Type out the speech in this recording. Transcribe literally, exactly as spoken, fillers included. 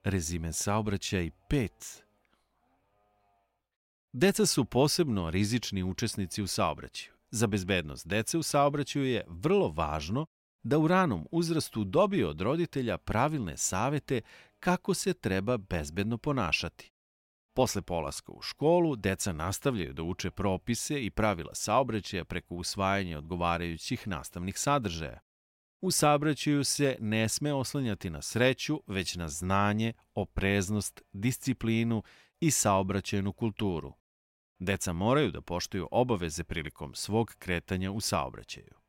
Rezime saobraćaj pet. Deca su posebno rizični učesnici u saobraćaju. Za bezbednost dece u saobraćaju je vrlo važno da u ranom uzrastu dobiju od roditelja pravilne savete kako se treba bezbedno ponašati. Posle polaska u školu, deca nastavljaju da uče propise i pravila saobraćaja preko usvajanja odgovarajućih nastavnih sadržaja. U saobraćaju se ne sme oslanjati na sreću, već na znanje, opreznost, disciplinu i saobraćajnu kulturu. Deca moraju da poštuju obaveze prilikom svog kretanja u saobraćaju.